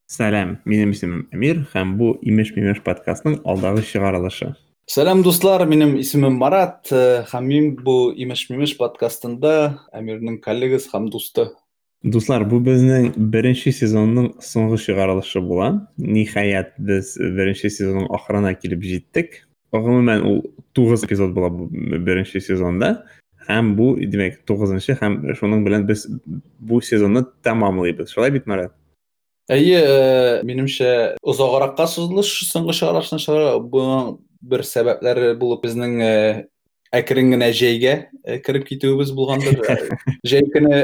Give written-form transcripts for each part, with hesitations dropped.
Сәлам, минем исемем Әмир һәм бу Имеш-мимеш подкастның алдагы чыгарылышы. Сәлам, дуслар, минем исемем Марат, һәм мин бу Имеш-мимеш подкастында Әмирнең коллегасы һәм дусты. Дуслар, бу безнең беренче сезонның соңгы чыгарылышы була. Ниһаять, без беренче сезонның ахырына килеп җиттек. Гомумән, ул 9 эпизод була бу беренче сезонда. Һәм бу, димәк, 9-нчы һәм шуның белән без бу сезонны тәмамлыйбыз. Шулай бит, Марат? Әйе, минемчә, озагракка сузылыш соңгы чыгарылышны чыгару, буның бер сәбәпләре булып безнең әкрен генә җәйгә кереп китүебез булгандыр. Җәй көне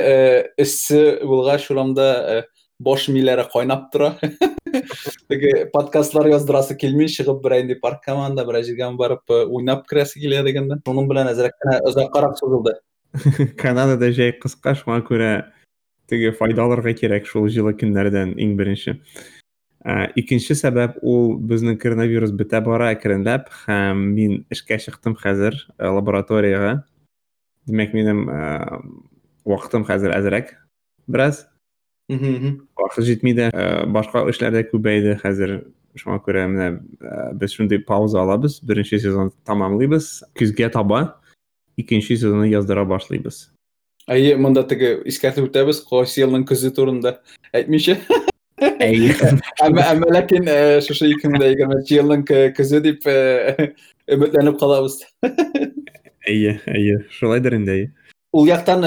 эссе булгач, урамда баш миләре кайнап тора. Теге подкастлар яздырасы килми, чыгып берәр инде паркка анда берәр җиргә барып уйнап керәсе килә дигәндә. Шуның белән әзрәк кенә озаккарак сузылды. Канадада җәй кыска, шуңа күрә теге файда алырга кирәк шул җылы көннәрдән иң беренче. Икенче сәбәп ул безнең коронавирус бетә бара әкренләп һәм мин эшкә чыктым хәзер лабораториягә. Димәк, минем вакытым хәзер әзрәк бераз. Вакыт җитми дә, башка эшләр дә күбәйде хәзер. Шуңа күрә менә без шундый пауза алабыз, беренче сезон тамамлыйбыз. Көзгә таба икенче сезонны яздыра башлыйбыз. Әйе, монда теге искәртеп үтәбез, кайсы елның көзе турында әйтмичә. Әйе. Әмма ләкин шушы 2020 елның көзе дип өметләнеп калабыз. Әйе, әйе, шулайдыр инде, әйе. Ул яктан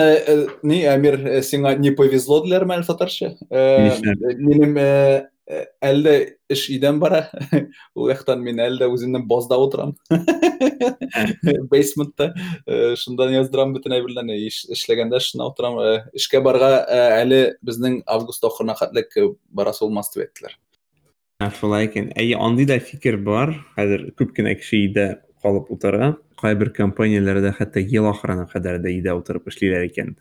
ни, Әмир, сиңа не повезло диләрме әле татарча? Минем әле эш өйдән бара. Ул яктан мин әле дә үземнең базда утырам. Бейсментта. Шундан яздырам бөтен әйберләрне. Эшләгәндә шунда утырам. Эшкә барга әле безнең август ахырына хәтлек барасы булмас дип әйттеләр. Шулай икән. Әйе, андый да фикер бар. Хәзер күп кенә кеше өйдә калып утыра. Кайбер компанияләрдә хәтта ел ахырына кадәр дә өйдә утырып эшлиләр икән.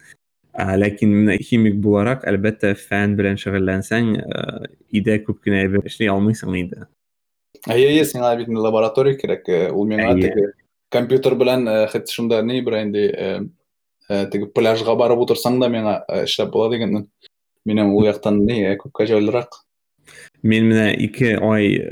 Ләкин менә химик буларак, әлбәттә, фән белән шөгыльләнсәң, өйдә күп кенә әйбер эшли алмыйсың инде. Әйе, әйе, сиңа бит лаборатория кирәк. Ул миңа теге компьютер белән хәтта шунда ни бер инде теге пляжга барып утырсаң да миңа эшләп була дигәннән. Минем ул яктан ни күпкә җайлырак. Мин менә 2 ай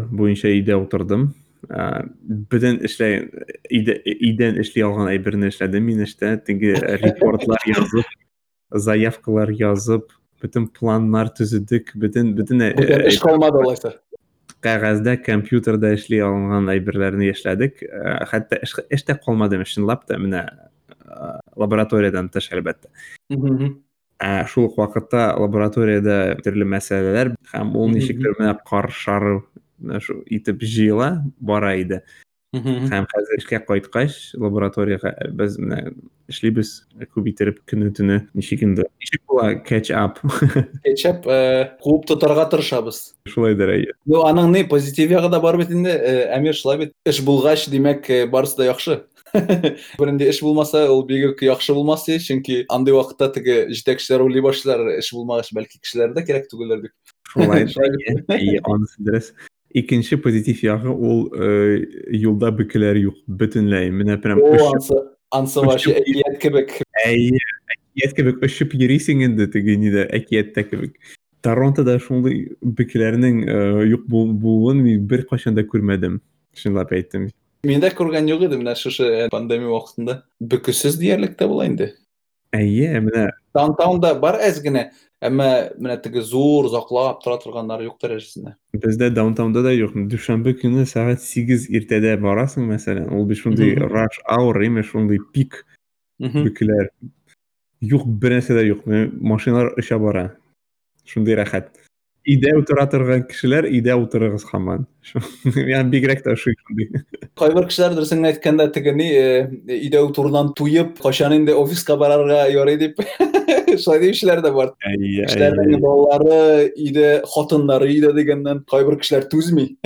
буенча өйдә утырдым. Бөтен эшләй өйдән эшли алган әйберне эшләдем мин эштә. Теге репортлар язып, заявкалар язып, бөтен планнар төзедек, бөтен бөтен эш калмады алайса. Кәгазьдә, компьютерда эшли алган әйберләрне эшләдек. Хәтта эш тә калмады, чынлап та менә лабораториядән тыш, әлбәттә. Ә шул ук вакытта лабораториядә төрле мәсьәләләр һәм ул ничектер менә кар шары итеп җыела бара иде. Һәм хәзер эшкә кайткач лабораториягә без менә эшлибез күп иттереп көне-төне. Ничек инде? Ничек була catch up? Catch up куып тотарга тырышабыз. Шулайдыр, әйе. Ну, аның ни позитив ягы да бар бит инде, Әмир, шулай бит. Эш булгач, димәк, барысы да яхшы. Бернинди эш булмаса, ул бик үк яхшы булмас ди, чөнки андый вакытта теге җитәкчеләр уйлый башлыйлар, эш булмагач, бәлки кешеләр дә кирәк түгелдер дип. Шулай, әйе, анысы дөрес. Икенче позитив ягы ул юлда бөкеләр юк бөтенләй. Менә прям ансы вообще әкият кебек. Әйе, әкият кебек очып йөрисең инде теге нидә, әкияттә кебек. Торонтода шундый бөкеләрнең юк булуын мин беркайчан да күрмәдем, чынлап әйтәм. Мин дә күргән юк иде менә шушы пандемия вакытында. Бөкесез диярлек тә була инде. Әйе, менә. Даунтаунда бар әз генә, әмма менә теге зур озаклап тора торганнар юк дәрәҗәсендә. Бездә даунтаунда да юк. Дүшәмбе көне сәгать 8 иртәдә барасың, мәсәлән, ул бит шундый rush hour, имеш, шундый пик бөкеләр. Юк, бер нәрсә дә юк. Машиналар оча бара. Шундый рәхәт. Өйдә утыра торган кешеләр, өйдә утырыгыз һаман. Миңа бигрәк тә ошый шундый. Кайбер кешеләр дөресен генә әйткәндә теге ни, өйдә утырудан туеп, кайчан инде офиска барырга ярый дип, шулай диючеләр дә бар. Әйе, Кешеләрнең балалары өйдә, хатыннары өйдә дигәннән кайбер кешеләр түзми.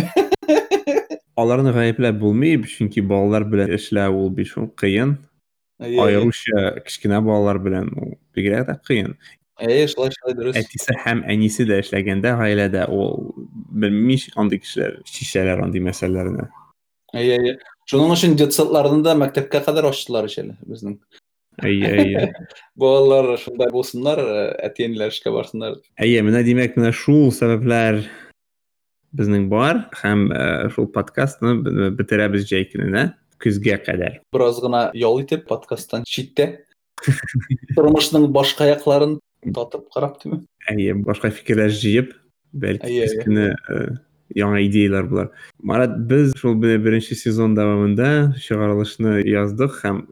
Аларны гаепләп булмый, чөнки балалар белән эшләү ул бит шул кыен. Аеруча кечкенә балалар белән ул бигрәк тә кыен. Әйе, шулай, шулай дөрес. Әтисе һәм әнисе дә эшләгәндә гаиләдә ул белмим ничек андый кешеләр чишәләр андый мәсьәләләрне. Әйе, әйе. Шуның өчен детсадларны да мәктәпкә кадәр ачтылар ич әле безнең. Әйе, әйе. Балалар шунда булсыннар, әти-әниләр эшкә барсыннар. Әйе, менә димәк, менә шул сәбәпләр безнең бар һәм шул подкастны бетерәбез җәй көненә, көзгә кадәр. Бераз гына ял итеп, подкасттан читтә. Тормышның башка якларын татып карап димме? Әйе, башка фикерләр җыеп, бәлки көз көне яңа идеяләр булыр. Марат, без шул беренче сезон дәвамында чыгарылышны яздык һәм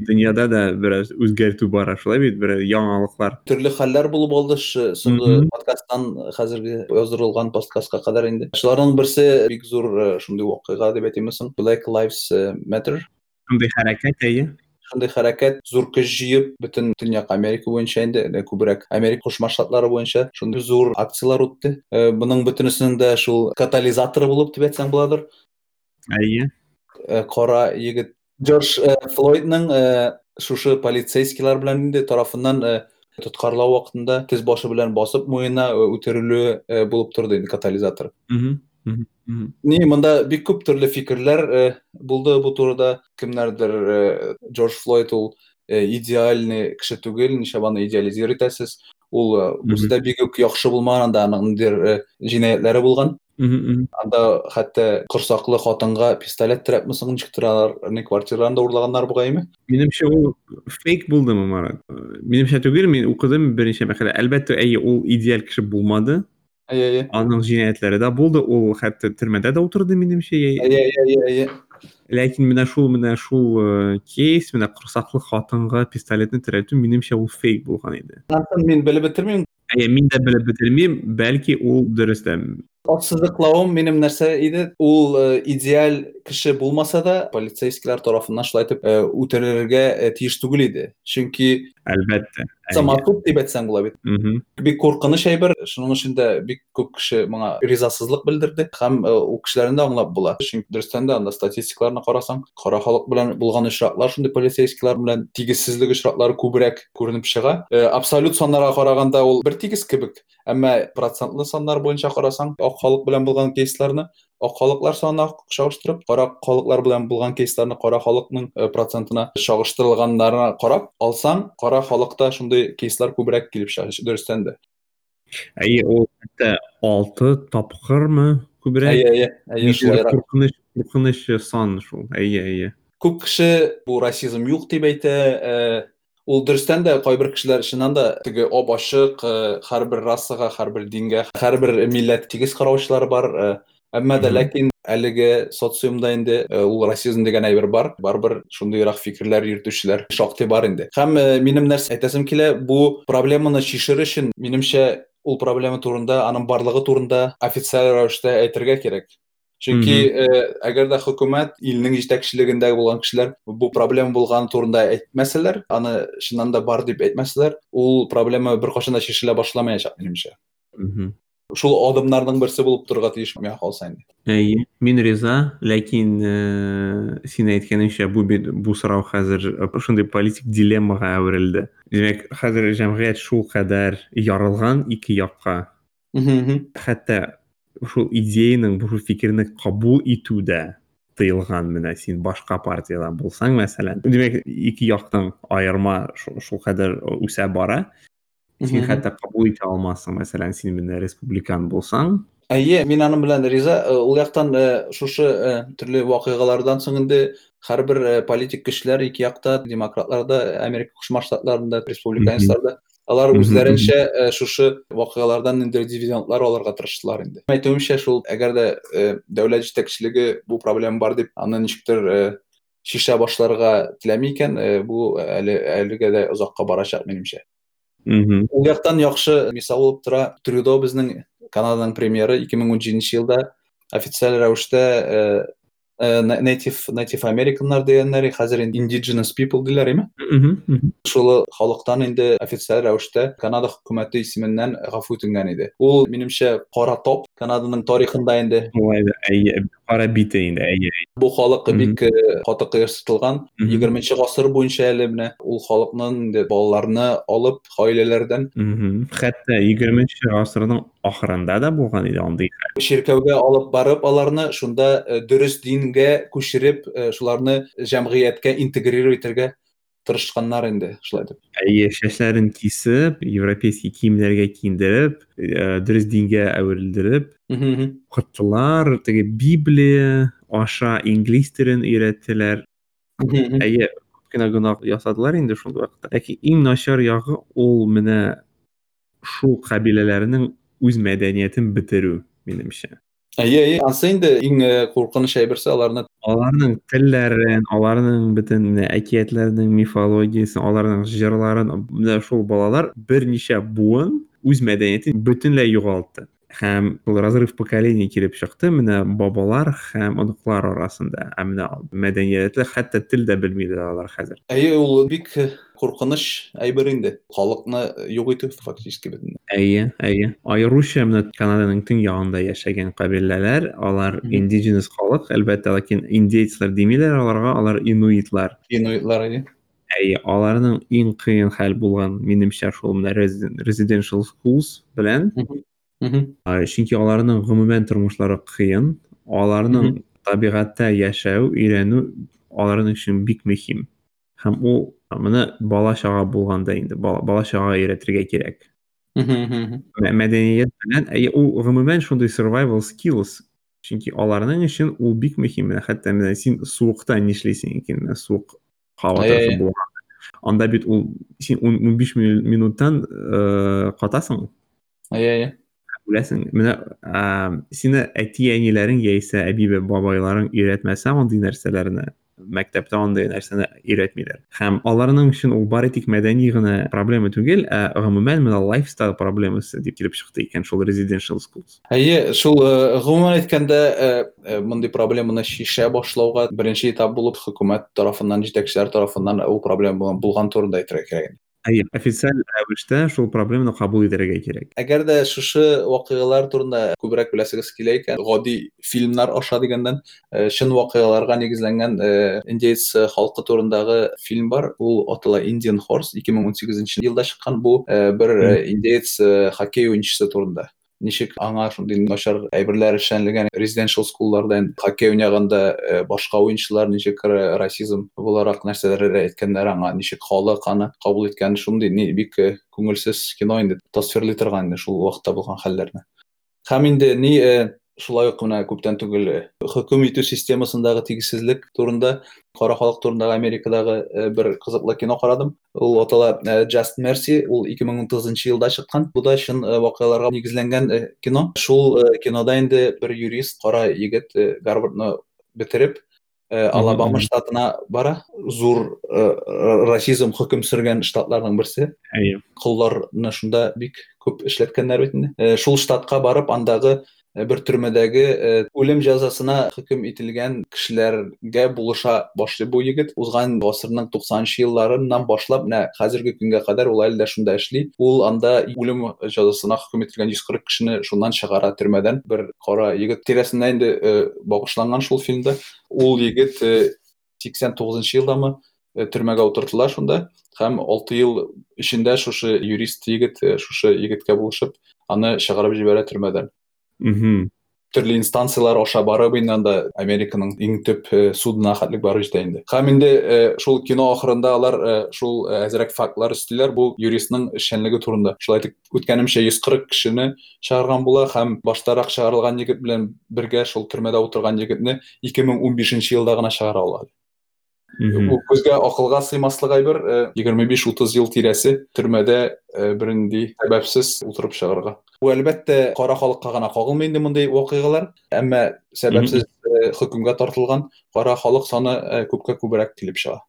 дөньяда да бераз үзгәртү бара, шулай бит, бераз яңалыклар. Төрле хәлләр булып алды соңгы подкасттан хәзерге яздырылган подкастка кадәр инде. Шуларның берсе бик зур шундый вакыйга дип әйтимме соң, Black Lives Matter. Шундый хәрәкәт, әйе. Шундый хәрәкәт зур көч җыеп, бөтен Төньяк Америка буенча инде, күбрәк Америка Кушма Штатлары буенча шундый зур акцияләр үтте. Моның бөтенесенең дә шул катализаторы булып дип әйтсәң буладыр. Әйе. Кара егет Джордж Флойдның шушы полицейскийлар белән инде тарафыннан тоткарлау вакытында тез башы белән басып муенына үтерелүе булып торды инде катализатор. Ни, монда бик күп төрле фикерләр булды бу турыда. Кемнәрдер Джордж Флойд ул идеальный кеше түгел, ничә аны идеализировать итәсез. Ул үзе дә бик үк яхшы булмаган, анда аның ниндидер җинаятьләре булган. Анда хәтта корсаклы хатынга пистолет терәпме соң, ничектер алар ни квартираларын да урлаганнар бугаймы? Минемчә, ул фейк булдымы, Марат? Минемчә түгел, мин укыдым берничә мәкалә. Әлбәттә, әйе, ул идеаль кеше булмады. Әйе, әйе. Аның җинаятьләре дә булды, ул хәтта төрмәдә дә утырды, минемчә. Әйе, әйе, әйе, әйе. Ләкин менә шул, менә шул кейс, менә корсаклы хатынга пистолетны терәтү, минемчә, ул фейк булган иде. Анысын мин белеп бетермим. Әйе, мин дә белеп бетермим, бәлки ул дөрес тә. Ассызыклавым минем нәрсә иде, ул идеаль кеше булмаса да, полицейскийлар тарафыннан шулай итеп үтерергә тиеш түгел иде. Чөнки Әлбәттә. Самосуд дип әйтсәң була бит. Бик куркыныч әйбер, шуның өчен дә бик күп кеше моңа ризасызлык белдерде һәм ул кешеләрне дә аңлап була. Чөнки дөрестән дә анда статистикаларны карасаң, кара халык белән булган очраклар, шундый полицейскийлар белән тигезсезлек очраклары күбрәк күренеп чыга. Абсолют саннарга караганда ул бер тигез кебек, әмма процентлы саннар буенча карасаң, ак халык белән булган кейсларны ак халыклар санына чагыштырып, кара халыклар белән булган кейсларны кара халыкның процентына чагыштырылганнарына карап алсаң, кара халыкта шундый кейслар күбрәк килеп чыга, дөрестән дә. Әйе, ул хәтта 6 тапкырмы күбрәк? Әйе, әйе, әйе, шулайрак. Куркыныч, куркыныч сан шул. Әйе, әйе. Күп кеше бу расизм юк дип әйтә, ул дөрестән дә кайбер кешеләр чыннан да теге ап-ачык, һәрбер расага, һәрбер дингә, һәрбер милләт тигез караучылар бар, әмма дә ләкин әлеге социумда инде ул расизм дигән әйбер бар, барыбер шундыйрак фикерләр йөртүчеләр шактый бар инде. Һәм минем нәрсә әйтәсем килә, бу проблеманы чишер өчен, минемчә, ул проблема турында, аның барлыгы турында официаль рәвештә әйтергә кирәк. Чөнки әгәр дә хөкүмәт, илнең җитәкчелегендә булган кешеләр бу проблема булган турында әйтмәсәләр, аны чыннан да бар дип әйтмәсәләр, ул проблема беркайчан да чишелә башламаячак, минемчә. Шул адымнарның берсе булып торырга тиеш миңа калса инде. Әйе, мин риза, ләкин син әйткәнеңчә, бу бит, бу сорау хәзер шундый политик дилеммага әверелде. Димәк, хәзер җәмгыять шул кадәр ярылган ике якка. Хәтта шул идеяның, бу фикерне кабул итү дә тыелган, менә син башка партиядән булсаң, мәсәлән. Димәк, ике яктан аерма шул кадәр үсә бара. Син хәтта кабул итә алмассың, мәсәлән, син менә республикан булсаң. Әйе, мин аның белән риза. Ул яктан шушы төрле вакыйгалардан соң инде һәрбер политик көчләр ике якта, демократлар да, Америка Кушма Штатларында, республиканецлар да, алар үзләренчә шушы вакыйгалардан инде дивидендлар алырга тырыштылар инде. Әйтүемчә, шул әгәр дә дәүләт җитәкчелеге бу проблема бар дип, аны ничектер шешә башларга теләми икән, бу әлегә дә озакка барачак минемчә. Ул яктан яхшы мисал булып тора Трюдо, безнең Канаданың премьеры, 2017 елда официаль рәвештә native Americanнар дигәннәр, хәзер инде indigenous people диләр, име? Шул халыктан инде официаль рәвештә Канада хөкүмәте исеменнән гафу үтенгән иде. Ул, минемчә, кара топ Канаданың тарихында инде. Шулай да, әйе, Кара бите инде, әйе. Бу халык бик каты кыерсытылган. 20 гасыр буенча әле менә ул халыкның инде балаларны алып гаиләләрдән. Хәтта 20 гасырның ахырында да булган иде андый хәл. Чиркәүгә алып барып аларны шунда дөрес дингә күчереп, шуларны җәмгыятькә интегрировать итәргә тырышканнар инде, шулай итеп. Әйе, чәчләрен кисеп, европейский киемнәргә киендереп, дөрес дингә әверелдереп, укыттылар, теге Библия аша инглиз телен өйрәттеләр. Әйе, күп кенә гөнаһ ясадылар инде шул вакытта. Ләкин иң начар ягы ул менә шул кабиләләрнең үз мәдәниятен бетерү, минемчә. Әйе, әйе, ансы инде иң куркыныч әйберсе аларны. Аларның телләрен, аларның бөтен менә әкиятләренең мифологиясен, аларның җырларын, менә шул балалар берничә буын үз мәдәниятен бөтенләй югалтты. Һәм ул разрыв поколений килеп чыкты менә бабалар һәм оныклар арасында. Ә менә мәдәниятле хәтта тел дә белмиләр алар хәзер. Әйе, ул бик куркыныч әйбер инде. Халыкны юк итү фактически бөтенләй. Әйе, әйе. Аеруча менә Канаданың төньягында яшәгән кабиләләр, алар indigenous халык, әлбәттә, ләкин индейцлар димиләр аларга, алар инуитлар. Инуитлар, әйе. Әйе, аларның иң кыен хәл булган, минемчә, шул менә residential schools белән. Чөнки аларның гомумән тормышлары кыен, аларның табигатьтә яшәү, өйрәнү аларның өчен бик мөһим. Һәм ул моны бала-чага булганда инде, бала-чага өйрәтергә кирәк. Мәдәният белән, әйе, ул гомумән шундый survival skills, чөнки аларның өчен ул бик мөһим. Менә хәтта менә син суыкта нишлисең икән, менә суык һава торышы булган. Анда бит ул син 15 минуттан катасың. Әйе, әйе. Үләсең. Менә сине әти-әниләрең яисә әби-бабайларың өйрәтмәсә андый нәрсәләрне, мәктәптә андый нәрсәне өйрәтмиләр. Һәм аларның өчен ул бары тик мәдәни генә проблема түгел, ә гомумән менә lifestyle проблемасы дип килеп чыкты икән шул residential schools. Әйе, шул гомумән әйткәндә, мондый проблеманы чишә башлауга беренче этап булып хөкүмәт тарафыннан, җитәкчеләр тарафыннан ул проблема булган турында әйтергә кирәк. Әйе, официаль рәвештә шул проблеманы кабул итәргә кирәк. Әгәр дә шушы вакыйгалар турында күбрәк беләсегез килә икән, гади фильмнар аша дигәннән, чын вакыйгаларга нигезләнгән индеец халкы турындагы фильм бар. Ул атала Indian Horse, 2018 елда чыккан. Бу бер индеец хоккей уенчысы турында. Ничек аңа шундый начар әйберләр эшләнелгән residential schoolларда хоккей уйнаганда башка уенчылар ничек расизм буларак нәрсәләр әйткәннәр аңа, ничек халык аны кабул иткән, шундый бик күңелсез кино инде тасвирлый торган инде шул вакытта булган хәлләрне. Һәм инде ни шулай ук менә күптән түгел хөкем итү системасындагы тигезсезлек турында, кара халык турындагы Америкадагы бер кызыклы кино карадым. Ул атала Just Mercy, ул 2019 елда чыккан. Бу да чын вакыйгаларга нигезләнгән кино. Шул кинода инде бер юрист, кара егет Гарвардны бетереп, Алабама штатына бара. Зур расизм хөкем сөргән штатларның берсе. Колларны шунда бик күп эшләткәннәр бит инде. Шул штатка барып, андагы бер төрмәдәге үлем җәзасына хөкем ителгән кешеләргә булыша башлый бу егет. Узган гасырның 90 елларыннан башлап, менә хәзерге көнгә кадәр ул әле дә шунда эшли. Ул анда үлем җәзасына хөкем ителгән 140 кешене шуннан чыгара төрмәдән. Бер кара егет тирәсендә инде багышланган шул фильмда. Ул егет 89 елдамы төрмәгә утыртыла шунда һәм 6 ел эчендә шушы юрист егет шушы егеткә булышып аны чыгарып җибәрә төрмәдән. Төрле инстанциялар аша барып инде анда Американың иң төп судына хәтлек барып җитә инде. Һәм инде шул кино ахырында алар шул әзрәк фактлар өстиләр бу юристның эшчәнлеге турында. Шулай итеп, үткәнемчә 140 кешене чыгарган була һәм баштарак чыгарылган егет белән бергә шул төрмәдә утырган егетне 2015 елда гына чыгара ала. Бу күзгә акылга сыймаслык әйбер, 25-30 ел тирәсе төрмәдә бернинди сәбәпсез утырып чыгарга. Бу әлбәттә кара халыкка гына кагылмый инде мондый вакыйгалар, әмма сәбәпсез хөкемгә тартылган кара халык саны күпкә күбрәк килеп чыга.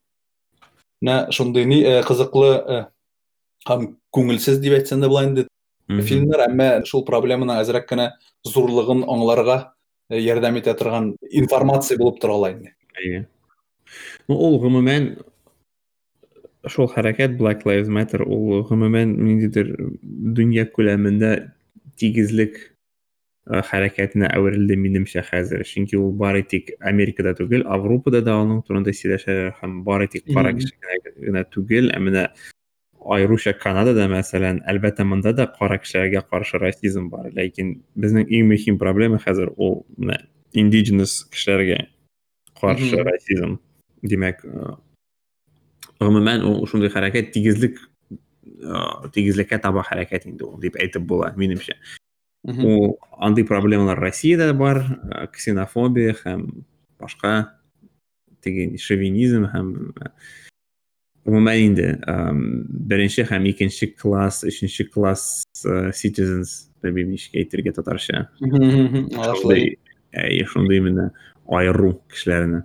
Менә шундый ни кызыклы һәм күңелсез дип әйтсәң дә була инде фильмнар, әмма шул проблеманың әзрәк кенә зурлыгын аңларга ярдәм итә торган информация булып тора ала инде. Әйе. Ну, ул гомумән шул хәрәкәт Black Lives Matter, ул гомумән ниндидер дөнья күләмендә тигезлек Хәрәкәтенә әверелде минемчә хәзер. Чөнки ул бары тик Америкада түгел, Авропада да аның турында сөйләшәләр һәм бары тик кара кеше генә түгел, ә менә аеруча Канадада, мәсәлән, әлбәттә, монда да кара кешеләргә каршы расизм бар, ләкин безнең иң мөһим проблема хәзер ул менә indigenous кешеләргә каршы расизм. Димәк, гомумән ул шундый хәрәкәт тигезлек тигезлеккә таба хәрәкәт инде ул дип әйтеп була, минемчә. Ул андый проблемалар Россиядә бар, ксенофобия һәм башка теге шовинизм һәм гомумән инде беренче һәм икенче класс, өченче класс citizens, белмим ничек әйтергә татарча. Шундый, шундый менә аеру кешеләрне.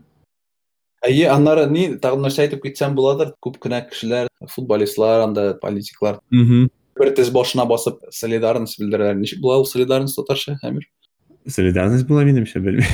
Әйе, аннары ни, тагын нәрсә әйтеп китсәм буладыр, күп кенә кешеләр, футболистлар, анда политиклар бер тез башына басып солидарность белдерәләр. Ничек була ул солидарность татарча, Әмир? Солидарность була минемчә, белмим.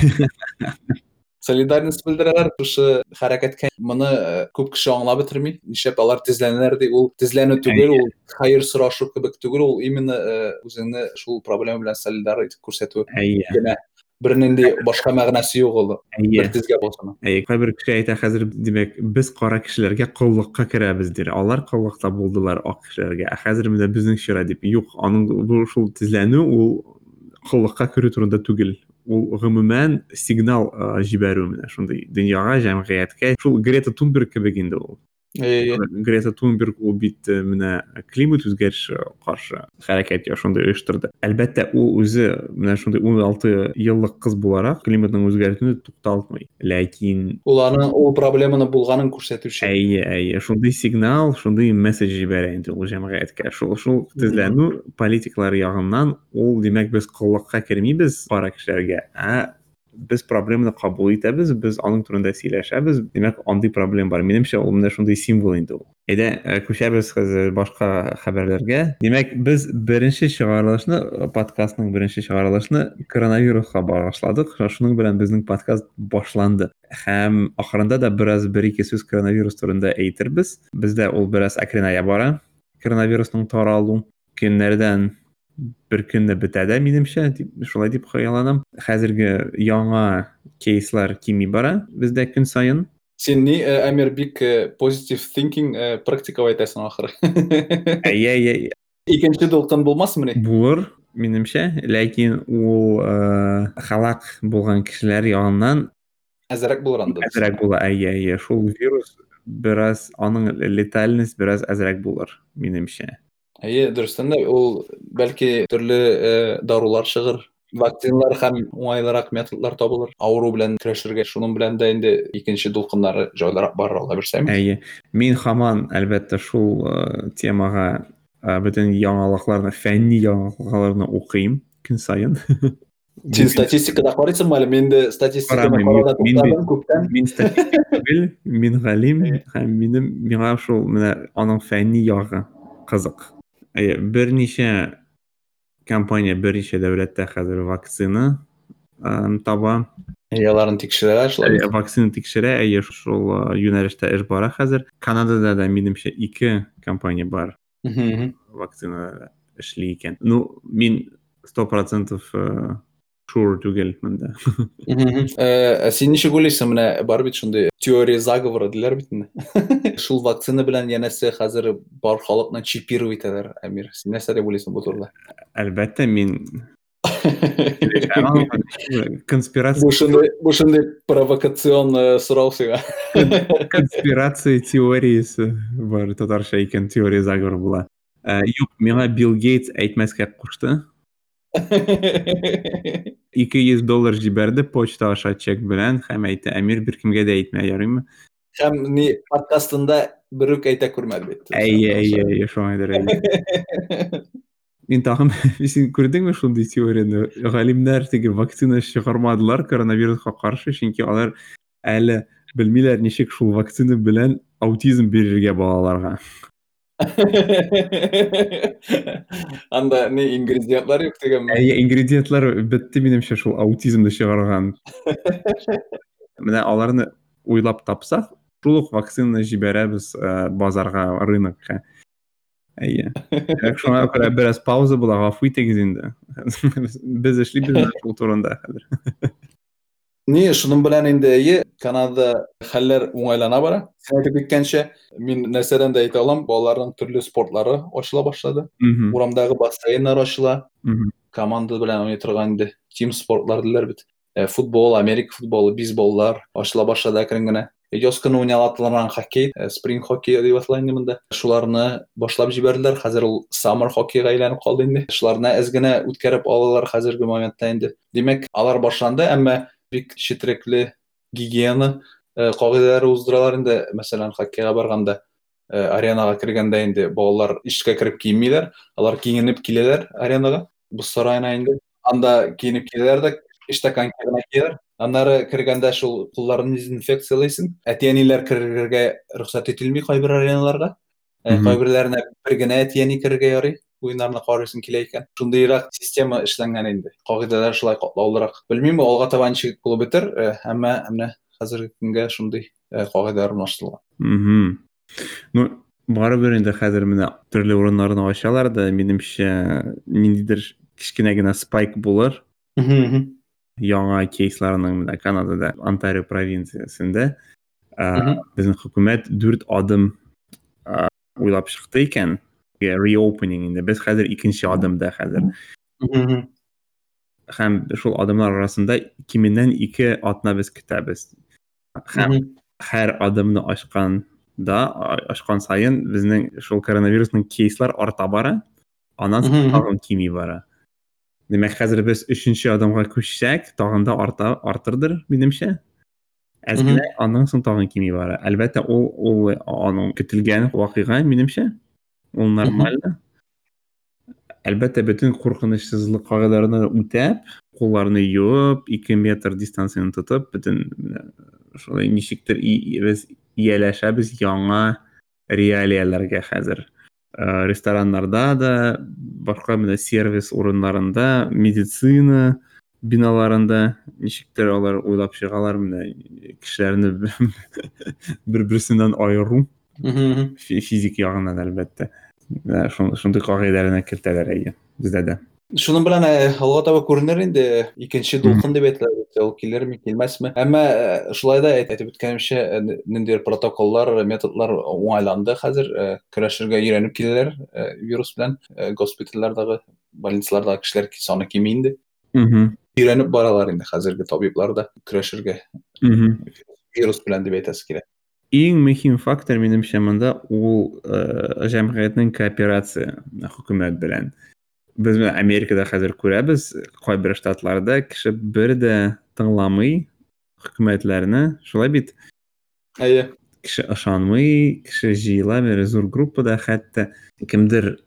Солидарность белдерәләр шушы хәрәкәткә. Моны күп кеше аңлап бетерми. Нишләп алар тезләнәләр ди? Ул тезләнү түгел, ул хәер сорашу кебек түгел, ул именно үзеңне шул проблема белән солидар итеп күрсәтү. Әйе. Генә. Бернинди башка мәгънәсе юк ул. Бер тезгә басуның. Әйе, кайбер кеше әйтә хәзер, димәк, без кара кешеләргә коллыкка керәбез дир. Алар коллыкта булдылар ак кешеләргә. Ә хәзер менә безнең чират дип. Юк, аның бу шул тезләнү ул коллыкка керү турында түгел. Ул гомумән сигнал җибәрү менә шундый дөньяга, җәмгыятькә. Шул Грета Тунберг кебек инде ул. Грета Тунберг ул бит менә климат үзгәреше каршы хәрәкәт шундый оештырды. Әлбәттә, ул үзе менә шундый 16 еллык кыз буларак климатның үзгәрүен тукталтмый. Ләкин ул аның ул проблеманы булганын күрсәтүче. Әйе, әйе, шундый сигнал, шундый месседж җибәрә инде ул җәмгыятькә. Шул шул тезләнү политиклар ягыннан ул, димәк, без коллыкка кермибез кара кешеләргә, ә без проблеманы кабул итәбез, без аның турында сөйләшәбез. Димәк, андый проблема бар. Минемчә, ул менә шундый символ инде ул. Әйдә, күчәбез хәзер башка хәбәрләргә. Димәк, без беренче чыгарылышны, подкастның беренче чыгарылышны коронавируска багышладык. Шуның белән безнең подкаст башланды. Һәм ахырында да бераз бер-ике сүз коронавирус турында әйтербез. Бездә ул бераз әкренәя бара. Коронавирусның таралу көннәрдән бер көнне бетә дә, минемчә, дип, шулай дип хыялланам. Хәзерге яңа кейслар кими бара бездә көн саен. Син ни, Әмир, бик positive thinking практиковать итәсең ахыры. Әйе, әйе. Икенче дулкын булмасмыни? Булыр, минемчә, ләкин ул халак булган кешеләр ягыннан әзрәк булыр анда. Әзрәк була, әйе, әйе. Шул вирус бераз аның летальность бераз әзрәк булыр, минемчә. Әйе, дөрестән дә ул бәлки төрле дарулар чыгыр, вакциналар һәм уңайлырак методлар табылыр авыру белән көрәшергә. Шуның белән дә инде икенче дулкыннары җайлырак барыр, Алла бирсә. Әйе. Мин һаман, әлбәттә, шул темага бөтен яңалыкларны, фәнни яңалыкларны укыйм көн саен. Син статистикада карыйсыңмы әле? Мин инде статистиканы караудан туктадым күптән. Мин статистик түгел, мин галим һәм минем миңа шул менә аның фәнни ягы кызык. Әйе, берничә компания берничә дәүләттә хәзер вакцина таба. Әйе, аларын тикшерәләр шулай. Вакцина тикшерә, әйе, шул юнәлештә эш бара хәзер. Канадада да минемчә ике компания бар. Вакцина эшли икән. Ну, мин 100% sure түгел монда. Ә син ничек уйлыйсың, менә бар бит шундый теория заговора диләр бит инде. Шул вакцина белән янәсе хәзер бар халыкны чипировать итәләр, Әмир. Син нәрсә дип уйлыйсың бу турыда? Әлбәттә, мин конспирация. Бу шундый провокацион сорау сиңа. Конспирация теориясе бар, татарча икән теория заговора була. Юк, миңа Билл Гейтс әйтмәскә кушты. 200 доллар җибәрде почта аша чек белән һәм әйтте, Әмир, беркемгә дә әйтмә, ярыймы? Һәм ни подкастында бер үк әйтә күрмәде бит. Әйе, әйе, әйе, шулайдыр. Мин тагын, син күрдеңме шундый теорияне? Галимнәр теге вакцина чыгармадылар коронавируска каршы, чөнки алар әле белмиләр, ничек шул вакцина белән аутизм бирергә балаларга. Анда ни ингредиентлар юк дигәнме? Әйе, ингредиентлар бетте минемчә шул аутизмны чыгарган. Менә аларны уйлап тапсак, шул ук вакцинаны җибәрәбез базарга, рынокка. Әйе. Димәк, шуңа күрә бераз пауза була, гафу итегез инде. Без эшлибез менә шул турында хәзер. Ни, шуның белән инде әйе, Канадада хәлләр уңайлана бара. Син әйтеп киткәнчә, мин нәрсәдән дә әйтә алам, балаларның төрле спортлары ачыла башлады. Урамдагы бассейннар ачыла. Команда белән уйный торган инде тим спортлар диләр бит. Футбол, Америка футболы, бейсболлар ачыла башлады әкрен генә. Яз көне уйнала торган хоккей, спринг хоккей дип атала инде монда. Шуларны башлап җибәрделәр. Хәзер ул саммер хоккейга әйләнеп калды инде. Шуларны әз генә үткәреп алалар хәзерге моментта инде. Димәк, алар башланды, әмма бик четерекле гигиена кагыйдәләре уздыралар инде. Мәсәлән, хоккейга барганда аренага кергәндә инде балалар ишеккә кереп киенмиләр, алар киенеп киләләр аренага, боз сараена инде. Анда киенеп киләләр дә, эштә коньки гына кияләр. Аннары кергәндә шул кулларын дезинфекциялыйсың. Әти-әниләр керергә рөхсәт ителми кайбер ареналарга. Кайберләренә бер генә әти-әни керергә ярый, уеннарны карыйсың килә икән. Шундыйрак система эшләнгән инде. Кагыйдәләр шулай катлаулырак. Белмим, алга таба ничек булып бетер, әмма менә хәзерге көнгә шундый кагыйдәләр урнаштырылган. Ну, барыбер инде хәзер менә төрле урыннарны ачалар да, минемчә, ниндидер кечкенә генә спайк булыр. Яңа кейсларның менә Канадада, Онтарио провинциясендә безнең хөкүмәт 4 адым уйлап чыкты икән. Reopening инде. Без хәзер икенче адымда хәзер. Һәм шул адымнар арасында кименнән 2 атна без көтәбез. Һәм һәр адымны ачканда, ачкан саен безнең шул коронавирусның кейслар арта бара, аннан соң тагын кими бара. Димәк, хәзер без өченче адымга күчсәк, тагын да арта, артырдыр, минемчә. Әз генә, аннан соң тагын кими бара. Әлбәттә, ул аның көтелгән вакыйга, минемчә. Ул нормально. Әлбәттә, бөтен куркынычсызлык кагыйдәләрен үтәп, кулларны юып, 2 метр дистанцияне тотып, бөтен шулай ничектер без ияләшәбез яңа реалияләргә хәзер. Рестораннарда да, башка менә сервис урыннарында, медицина биналарында ничектер алар уйлап чыгалар менә кешеләрне бер-берсеннән аеру. Физик ягыннан әлбәттә. Шундый кагыйдәләрне кертәләр әйе бездә дә. Шуның белән алга таба күренер инде, икенче дулкын дип әйтелә, ул килерме, килмәсме. Әмма шулай да әйтеп үткәнемчә, ниндидер протоколлар, методлар уңайланды хәзер, көрәшергә өйрәнеп киләләр вирус белән. Госпитальләрдәге, больницалардагы кешеләр саны кими инде. Өйрәнеп баралар инде хәзерге табиблар да көрәшергә вирус белән дип әйтәсе килә. Иң мөһим фактор минемчә монда ул җәмгыятьнең кооперация хөкүмәт белән. Без менә Америкада хәзер күрәбез, кайбер штатларда кеше бер дә тыңламый хөкүмәтләрне, шулай бит? Әйе. Кеше ышанмый, кеше җыела бер зур группада, хәтта кемдер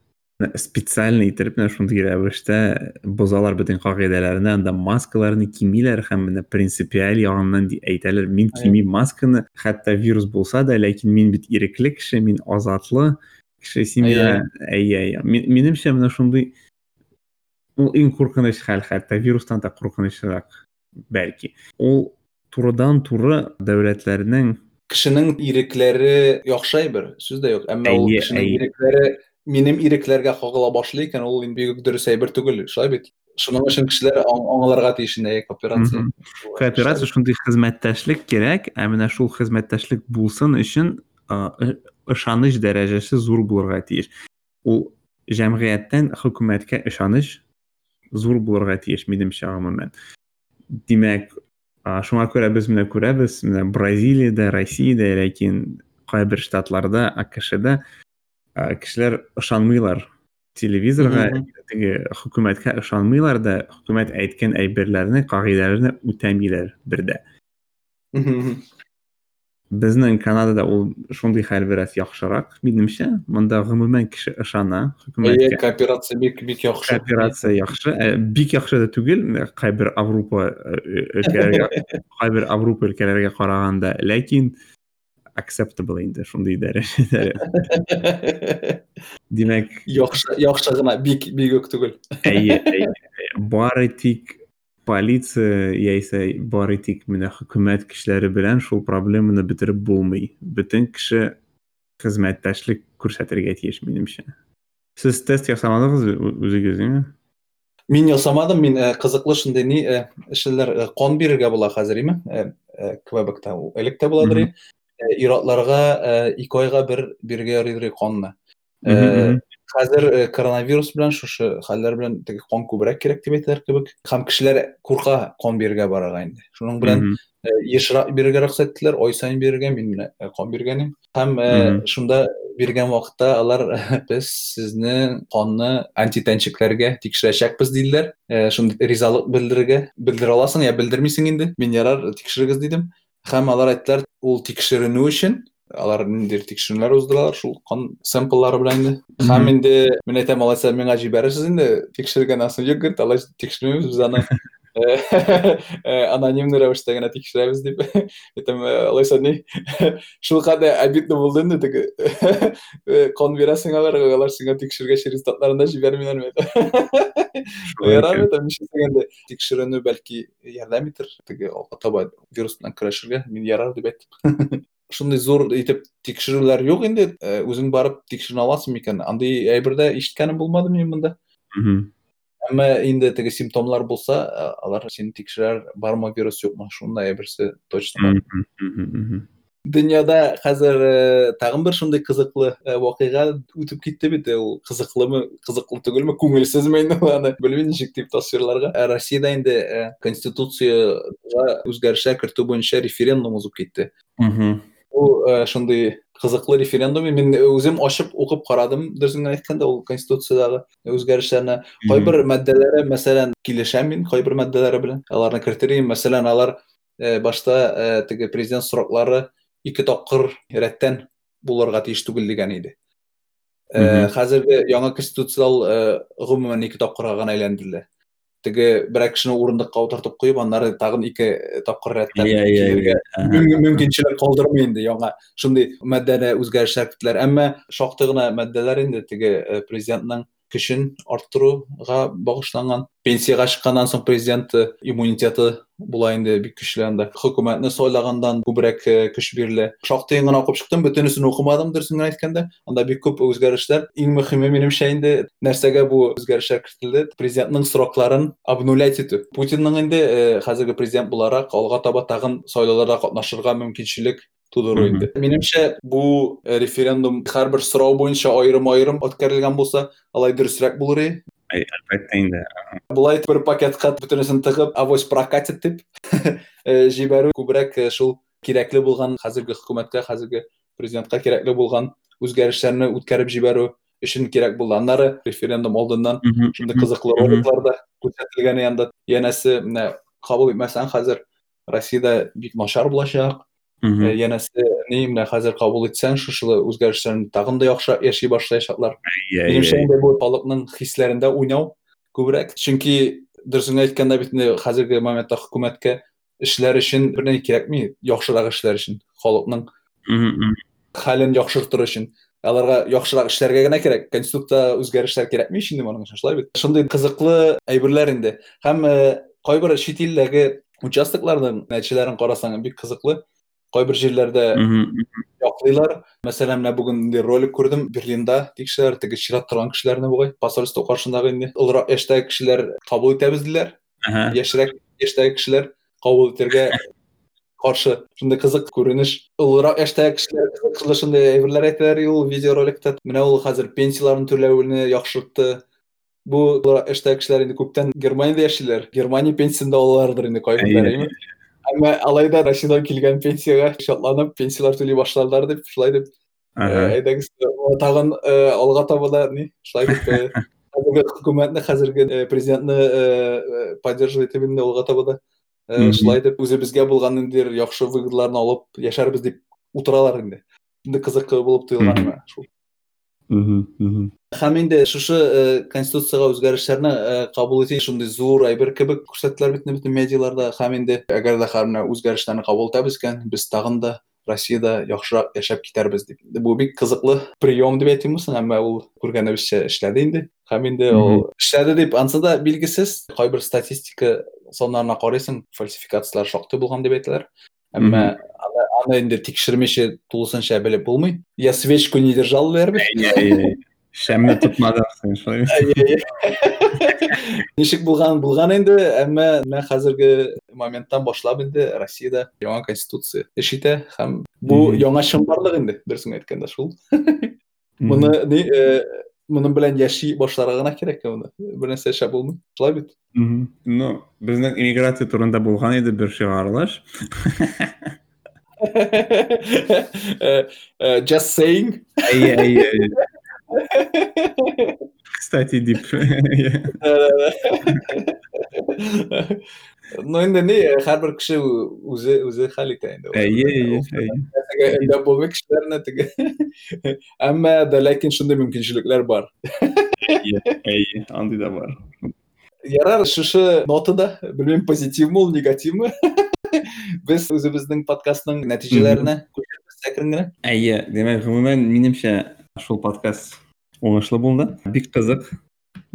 специально итеп менә шундый рәвештә бозалар бөтен кагыйдәләрне, анда маскаларны кимиләр һәм менә принципиаль ягыннан әйтәләр, мин кимим масканы, хәтта вирус булса да, ләкин мин бит ирекле кеше, мин азатлы кеше, син миңа, әйе, әйе. Минемчә менә шундый ул иң куркыныч хәл, хәтта вирустан да куркынычрак бәлки. Ул турыдан-туры дәүләтләрнең кешенең ирекләре яхшы әйбер, сүз дә юк, әмма ул кешенең ирекләре минем ирекләргә кагыла башлый икән, ул инде бик дөрес әйбер түгел, шулай бит? Шуның өчен кешеләр аңларга тиеш инде кооперация. Кооперация шундый хезмәттәшлек кирәк, ә менә шул хезмәттәшлек булсын өчен ышаныч дәрәҗәсе зур булырга тиеш. Ул җәмгыятьтән хөкүмәткә ышаныч зур булырга тиеш, минемчә, гомумән. Димәк, шуңа күрә без менә күрәбез, менә Бразилиядә, Россиядә, ләкин кайбер штатларда, АКШда кешеләр ышанмыйлар телевизорга, теге хөкүмәткә ышанмыйлар да, хөкүмәт әйткән әйберләрне, кагыйдәләрне үтәмиләр бер дә. Безнең Канадада ул шундый хәл бераз яхшырак, минемчә. Монда гомумән кеше ышана хөкүмәткә. Әйе, кооперация бик бик яхшы. Кооперация яхшы, бик яхшы да түгел, кайбер Авропа өлкәләргә, кайбер Авропа өлкәләргә караганда, ләкин acceptable инде шундый дәрәҗәдә. Димәк, яхшы, яхшы гына, бик бик үк түгел. Әйе, әйе. Бары тик полиция яисә бары тик менә хөкүмәт кешеләре белән шул проблеманы бетереп булмый. Бөтен кеше хезмәттәшлек күрсәтергә тиеш, минемчә. Сез тест ясамадыгыз үзегез, димме? Мин ясамадым, мин кызыклы шундый ни эшләр кан бирергә була хәзер, име? Квебекта элек тә буладыр. Ир-атларга 2 айга бер бирергә ярыйдыр канны. Хәзер коронавирус белән шушы хәлләр белән теге кан күбрәк кирәк дип әйтәләр кебек. Һәм кешеләр курка кан бирергә барырга инде. Шуның белән ешрак бирергә рөхсәт иттеләр, ай саен бирергә, мин менә кан биргән идем. Һәм шунда биргән вакытта алар без сезнең канны антитәнчекләргә тикшерәчәкбез диделәр. Шундый ризалык белдерергә, белдерә аласың я белдермисең инде. Мин ярар, тикшерегез дидем. Һәм алар әйттеләр, ул тикшеренү өчен алар ниндидер тикшеренүләр уздыралар шул кан сэмпллары белән инде. Һәм инде мин әйтәм, алайса миңа җибәрерсез инде, тикшергәннән соң юк, говорит, алай тикшермибез без аны. Анонимный рәвештә генә тикшерәбез дип. Әйтәм, алайса ни? Шул кадәр обидно булды инде теге. Кан бирәсең аларга, алар сиңа тикшергәч результатларын да җибәрмиләрме? Ярар, әйтәм, нишлисең инде? Тикшеренү бәлки ярдәм итер, теге алга таба вирус белән көрәшергә, мин ярар дип әйттем. Шундый зур итеп тикшерүләр юк инде, үзең барып тикшеренә аласың микән? Андый әйбер дә ишеткәнем булмады минем монда. Әмма инде теге симптомлар булса, алар сине тикшерәр, бармы вирус юкмы, шундай әйберсе точно бар. Дөньяда хәзер тагын бер шундый кызыклы вакыйга үтеп китте бит. Ул кызыклымы, кызыклы түгелме, күңелсезме инде ул, аны белмим ничек дип тасвирларга. Россиядә инде конституциягә үзгәрешләр кертү буенча референдум узып китте. Бу шундый кызыклы референдум. Мин үзем ачып укып карадым, дөресен генә әйткәндә, ул конституциядәге үзгәрешләрне. Кайбер маддәләре, мәсәлән, килешәм мин кайбер маддәләре белән. Аларны кертер идем. Мәсәлән, алар башта теге президент сроклары 2 тапкыр рәттән булырга тиеш түгел дигән иде. Хәзерге яңа конституция ул гомумән 2 тапкырга гына әйләндерелә. Теге берәр кешене урындыкка утыртып куеп, аннары тагын 2 тапкыр рәттән килергә мөмкинчелек калдырмый инде яңа шундый маддәдә үзгәрешләр керттеләр. Әмма шактый гына маддәләр инде теге президентның көчен арттыруга багышланган. Пенсиягә чыкканнан соң президент иммунитеты була инде бик көчле анда. Хөкүмәтне сайлагандан күбрәк көч бирелә. Шактый гына укып чыктым, бөтенесен укымадым, дөресен генә әйткәндә. Анда бик күп үзгәрешләр. Иң мөһиме минемчә инде нәрсәгә бу үзгәрешләр кертелде? Президентның срокларын обнулять итү. Путинның инде хәзерге президент буларак алга таба тагын сайлауларда катнашырга мөмкинчелек тудыру инде. Минемчә, бу референдум һәрбер сорау буенча аерым-аерым үткәрелгән булса, алай дөресрәк булыр иде. Әлбәттә инде. Болай бер пакетка бөтенесен тыгып, авось прокатит дип җибәрү күбрәк шул кирәкле булган хәзерге хөкүмәткә, хәзерге президентка кирәкле булган үзгәрешләрне үткәреп җибәрү өчен кирәк булды. Аннары референдум алдыннан шундый кызыклы роликлар да күрсәтелгән янда. Янәсе, менә кабул итмәсәң, хәзер Россиядә бик начар булачак. Янәсе, ни, менә хәзер кабул итсәң, шушы үзгәрешләрне тагын да яхшырак яши башлаячаклар. Минемчә, инде бу халыкның хисләрендә уйнау күбрәк. Чөнки дөресен әйткәндә бит инде хәзерге моментта хөкүмәткә эшләр өчен берни кирәкми, яхшырак эшләр өчен, халыкның хәлен яхшыртыр өчен. Аларга яхшырак эшләргә генә кирәк. Конституция үзгәрешләр кирәкми ич инде моның өчен, шулай бит. Шундый кызыклы әйберләр инде. Һәм кайбер чит илдәге участокларның нәтиҗәләрен карасаң, бик кызыклы. Кайбер җирләрдә яклыйлар. Мәсәлән, менә бүген инде ролик күрдем, Берлинда тикшерәләр, теге чират торган кешеләрне бугай, посольство каршындагы инде олырак яшьтәге кешеләр кабул итәбез диләр. Яшьрәк яшьтәге кешеләр кабул итәргә каршы. Шундый кызык күренеш. Олырак яшьтәге кешеләр кызыклы шундый әйберләр әйтәләр ул видеороликта. Менә ул хәзер пенсияләрен түләүне яхшыртты. Бу эштә кешеләр инде күптән Германиядә яшиләр. Германия пенсиясен дә алалардыр инде кайберләре, әйеме? Әмма алай да Россиядән килгән пенсиягә шатланып, пенсияләр түли башладылар дип, шулай дип. Әйдәгез, тагын алга таба да ни, шулай дип хәзерге хөкүмәтне, хәзерге президентны поддерживать итеп инде алга таба да шулай дип үзебезгә булган ниндидер яхшы выгодаларны алып яшәрбез дип утыралар инде. Инде кызык булып тоелган миңа шул. Һәм инде шушы конституциягә үзгәрешләрне кабул итү шундый зур әйбер кебек күрсәттеләр бит бөтен медиаларда. Һәм инде әгәр дә һәр менә үзгәрешләрне кабул итәбез икән, без тагын да Россиядә яхшырак яшәп китәрбез дип. Бу бик кызыклы прием дип әйтимме соң, әмма ул күргәнебезчә эшләде инде. Һәм инде ул эшләде дип ансы да билгесез. Кайбер статистика саннарына карыйсың, фальсификацияләр шактый булган дип әйтәләр. Әмма аны инде тикшермичә тулысынча белеп булмый. Я свечку не держал диләр бит. Шәмне тотмадың син, шулай. Ничек булган булган инде, әмма менә хәзерге моменттан башлап инде Россиядә яңа конституция эш итә һәм бу яңа чынбарлык инде, дөресен әйткәндә шул. Моны ни моның белән яши башларга гына кирәк моны. Бер нәрсә эшләп булмый. Шулай бит? Ну, безнең иммиграция турында булган иде бер чыгарылыш. Just saying. Әйе, әйе, әйе. Кстати, дип. Ну, инде ни, һәрбер кеше үзе үзе хәл итә инде. Әйе, әйе, әйе. Өндәп булмый кешеләрне теге. Әмма дә ләкин шундый мөмкинчелекләр бар. Әйе, әйе, андый да бар. Ярар, шушы нотада, белмим, позитивмы ул, негативмы? Без үзебезнең подкастның нәтиҗәләренә күчәбез әкрен генә. Әйе, димәк, гомумән, минемчә, шул подкаст уңышлы булды. Бик кызык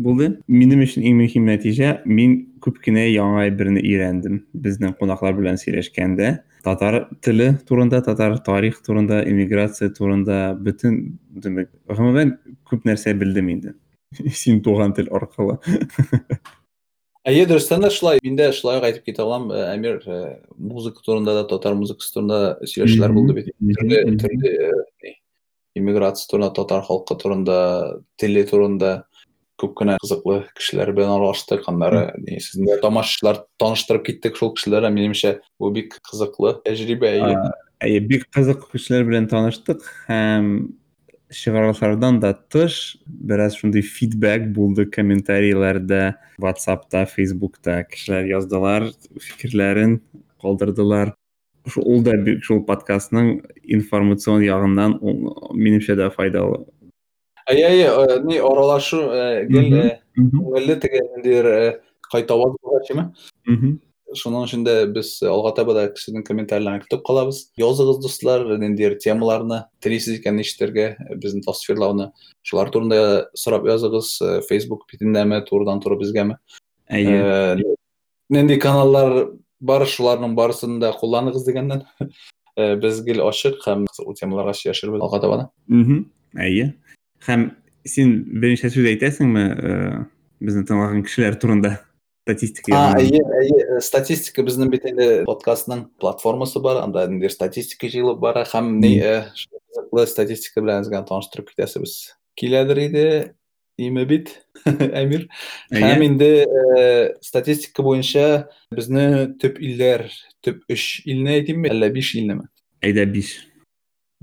булды. Минем өчен иң мөһим нәтиҗә, мин күп кенә яңа әйберне өйрәндем. Безнең кунаклар белән сөйләшкәндә, татар теле турында, татар тарих турында, иммиграция турында, бөтен, димәк, гомумән, күп нәрсә белдем инде. Син туган тел аркылы. Әйе, дөрестән дә шулай. Мин дә шулай ук әйтеп китә алам, Әмир, музыка турында да, татар музыкасы турында сөйләшүләр булды бит. Төрле, төрле иммиграция турында, татар халкы турында, теле турында күп кенә кызыклы кешеләр белән аралаштык. Аннары сезнең дә тамашачылар таныштырып киттек шул кешеләр. Минемчә, бу бик кызыклы тәҗрибә. Әйе, бик кызык кешеләр белән таныштык һәм чыгарылышлардан да тыш бераз шундый фидбэк булды комментарийларда, WhatsAppта, Facebookта кешеләр яздылар, фикерләрен калдырдылар. Ул да бик шул подкастның информацион ягыннан минемчә дә файдалы. Әйе, әйе, ни аралашу гел күңелле теге ниндидер кайтаваз булгачымы? Шуның өчен дә без алга таба да кешенең комментарийларын көтеп калабыз. Языгыз, дуслар, ниндидер темаларны телисез икән ишетергә, безне тасвирлауны. Шулар турында сорап языгыз, Facebook битендәме, турыдан-туры безгәме? Әйе. Нинди каналлар бар, шуларның барысын да кулланыгыз дигәннән. Без гел ачык һәм кызыклы темаларга сөйләшербез алга таба да. Әйе. Һәм син берничә сүз әйтәсеңме, безне тыңлаган кешеләр турында? Статистика. Әйе, әйе, статистика безнең бит инде подкастның платформасы бар, анда инде статистика җыелып бара һәм ни кызыклы статистика белән сезгә таныштырып китәсебез киләдер иде, име бит, Әмир. Һәм инде статистика буенча безне төп илләр, төп 3 илне әйтимме, әллә 5 илнеме? Әйдә 5.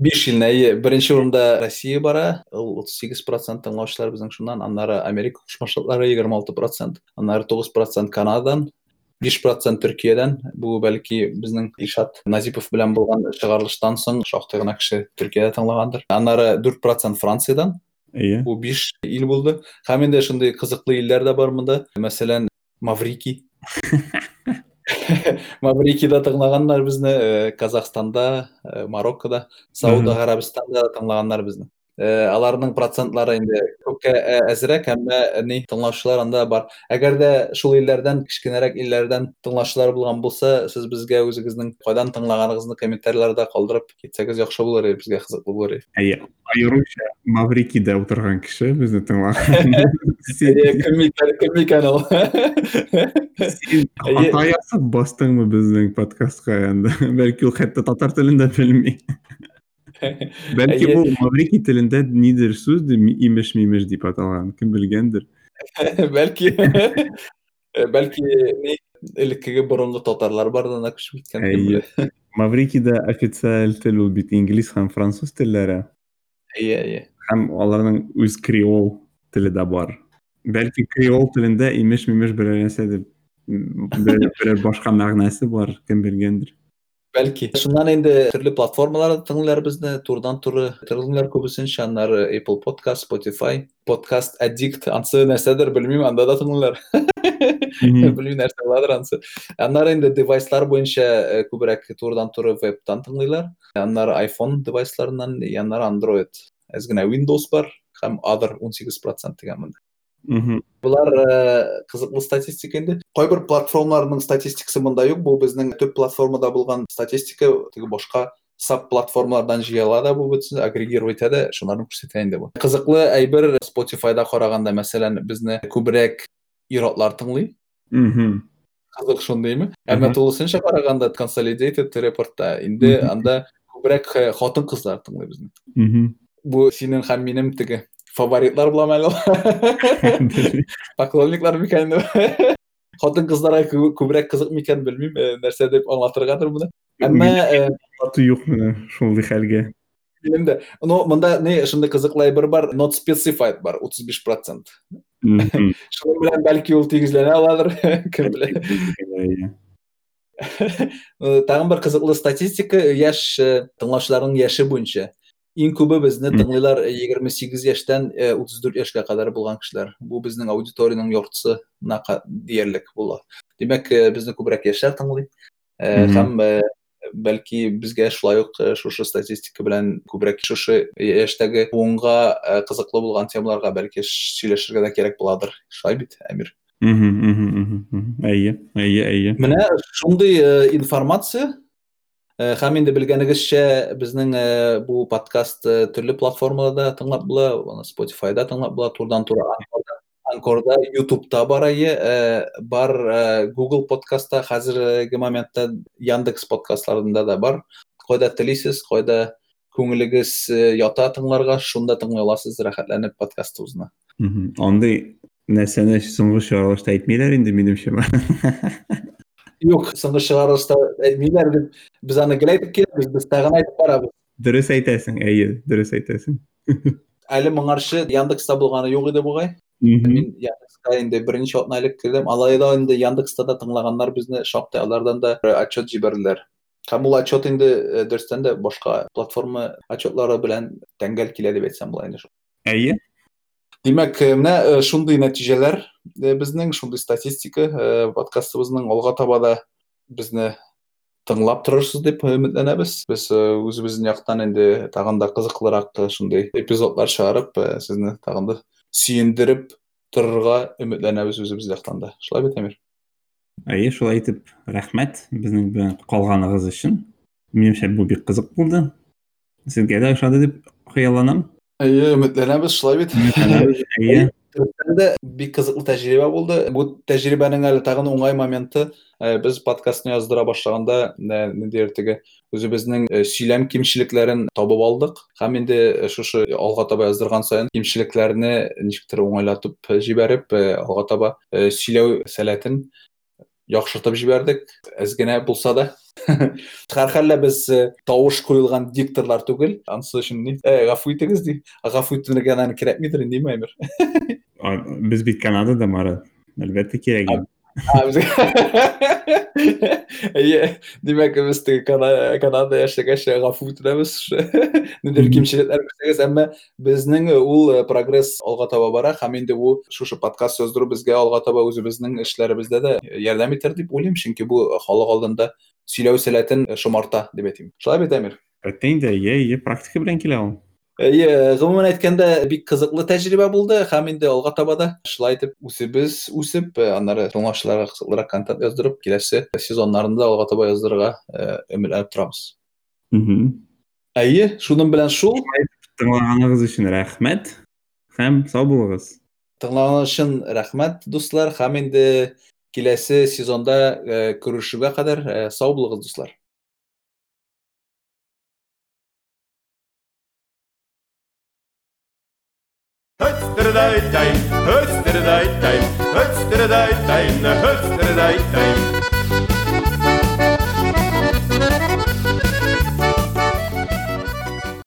5 илне, әйе. Беренче урында Россия бара, ул 38% тыңлаучылар безнең шуннан, аннары Америка Кушма Штатлары 26%, аннары 9% Канададан, 5% Төркиядән. Бу бәлки безнең Илшат Назипов белән булган чыгарылыштан соң шактый гына кеше Төркиядә тыңлагандыр. Аннары 4% Франциядән. Әйе. Бу 5 ил булды. Һәм инде шундый кызыклы илләр дә бар монда. Мәсәлән, Маврикий. Маврикийда тыңлаганнар безне, Казахстанда, Мароккода, Сауд Гарәбстанда тыңлаганнар безне. Аларның процентлары инде күпкә әзрәк, әмма ни тыңлаучылар анда бар. Әгәр дә шул илләрдән, кечкенәрәк илләрдән тыңлаучылар булган булса, сез безгә үзегезнең кайдан тыңлаганыгызны комментарийларда калдырып китсәгез яхшы булыр иде, безгә кызыклы булыр иде. Әйе, аеруча Маврикийда утырган кеше безне тыңлаган. Әйе, кем икән, кем икән ул? Син хата ясап бастыңмы безнең подкастка инде? Бәлки ул хәтта татар телен дә белми. Бәлки ул Маврикий телендә нидер сүз имеш-мимеш дип аталган, кем белгәндер. Бәлки. Бәлки ни элеккеге борынгы татарлар бар да күчеп киткән, кем белә. Маврикийда официаль тел ул бит инглиз һәм француз телләре. Әйе, әйе. Һәм аларның үз креол теле дә бар. Бәлки креол телендә имеш-мимеш берәр нәрсә дип берәр башка мәгънәсе бар, кем белгәндер. Бәлки. Шуннан инде төрле платформаларда тыңлыйлар безне, турыдан-туры тыңлыйлар күбесенчә, аннары Apple Podcast, Spotify, Podcast Addict, ансы нәрсәдер, белмим, анда да тыңлыйлар. Белмим нәрсә буладыр ансы. Аннары инде девайслар буенча күбрәк турыдан-туры вебтан тыңлыйлар. Аннары iPhone девайсларыннан, аннары Android. Әз генә Windows бар һәм other 18% дигән монда. Булар кызыклы статистика инде. Кайбер платформаларның статистикасы монда юк. Бу безнең төп платформада булган статистика, теге башка Саб-платформалардан җыела да бу бөтен агрегировать итә дә, шуларны күрсәтә инде бу. Кызыклы әйбер Spotify-да караганда, мәсәлән, безне күбрәк ир-атлар тыңлый. Кызык шундыймы? Әмма тулысынча караганда consolidated репортта инде анда күбрәк хатын-кызлар тыңлый безне. Бу синең һәм минем теге фаворитлар буламы әле? Поклонниклар микән инде? Хатын-кызларга күбрәк кызык микән, белмим, нәрсә дип аңлатыргадыр моны. Әмма аты юк менә шундый хәлгә. Минем дә. Но монда не шундый кызыклы әйбер бар, not specified бар, 35%. Шуның белән бәлки ул тигезләнә аладыр, кем белә. Тагын бер кызыклы статистика, яшь тыңлаучыларның яше буенча. Иң күбе безне тыңлыйлар 28 яшьтән 34 яшькә кадәр булган кешеләр. Бу безнең аудиториянең яртысына диярлек була. Димәк, безне күбрәк яшьләр тыңлый. Һәм бәлки безгә шулай ук шушы статистика белән күбрәк шушы яшьтәге буынга кызыклы булган темаларга бәлки сөйләшергә дә кирәк буладыр. Шулай бит, Әмир? Әйе, әйе, әйе. Менә шундый информация. Һәм инде белгәнегезчә, безнең бу подкаст төрле платформаларда тыңлап була, аны Spotify-да тыңлап була, турыдан-туры Анкорда, YouTube'та бар әйе, бар Google подкастта, хәзерге моментта Яндекс подкастларында да бар. Кайда телисез, кайда күңелегез ята тыңларга, шунда тыңлый аласыз рәхәтләнеп подкастыбызны. Андый нәрсәне соңгы чыгарылышта әйтмиләр инде, минемчә. Юк, соңгы чыгарылышта әйтмиләр дип, без аны гел әйтеп киләбез, без тагын әйтеп барабыз. Дөрес әйтәсең, әйе, дөрес әйтәсең. Әле моңарчы Яндекста булганы юк иде бугай. Мин Яндекска инде берничә атна элек кердем. Алай да инде Яндекста да тыңлаганнар безне шактый, алардан да отчет җибәрделәр. Һәм ул отчет инде дөрестән дә башка платформа отчетлары белән тәңгәл килә дип әйтсәм була инде. Әйе. Димәк, менә шундый нәтиҗәләр безнең, шундый статистика подкастыбызның алга таба да безне тыңлап торырсыз дип өметләнәбез. Без үзебезнең яктан инде тагын да кызыклырак шундый эпизодлар чыгарып, сезне тагын да сөендереп торырга өметләнәбез үзебез яктан да. Шулай бит, Әмир? Әйе, шулай итеп, рәхмәт безнең белән калганыгыз өчен. Минемчә, бу бик кызык булды. Сезгә дә ошады дип хыялланам. Әйе, өметләнәбез, шулай бит. Өметләнәбез, әйе. Дөрестән дә бик кызыклы тәҗрибә булды. Бу тәҗрибәнең әле тагын уңай моменты, без подкастны яздыра башлаганда, ниндидер теге үзебезнең сөйләм кимчелекләрен табып алдык. Һәм инде шушы алга таба яздырган саен кимчелекләрне ничектер уңайлатып җибәреп, алга таба сөйләү сәләтен яхшыртып җибәрдек, әз генә булса да. Һәрхәлдә без тавыш куелган дикторлар түгел, анысы өчен ни, гафу итегез ди. Гафу итәргә аны кирәкмидер инде, Әмир. Без бит Канадада, Марат. Әлбәттә кирәк. Әйе, димәк, без теге Канадада яшәгәч гафу итәбез. Ниндидер кимчелекләр күрсәгез, әмма безнең ул прогресс алга таба бара һәм инде бу шушы подкаст яздыру безгә алга таба үзебезнең эшләребездә дә ярдәм итәр дип уйлыйм, чөнки бу халык алдында сөйләү сәләтен шомарта дип әйтим. Шулай бит, Әмир? Әлбәттә инде, әйе, әйе, практика белән килә ул. Әйе, гомумән әйткәндә, бик кызыклы тәҗрибә булды һәм инде алга таба да шулай итеп үзебез үсеп, аннары тыңлаучыларга кызыклырак контент яздырып, киләсе сезоннарында алга таба яздырырга өметләнеп торабыз. Әйе, шуның белән шул. Тыңлаганыгыз өчен рәхмәт һәм сау булыгыз. Тыңлаганыгыз өчен рәхмәт, дуслар, һәм инде киләсе сезонда күрешүгә кадәр сау булыгыз, дуслар.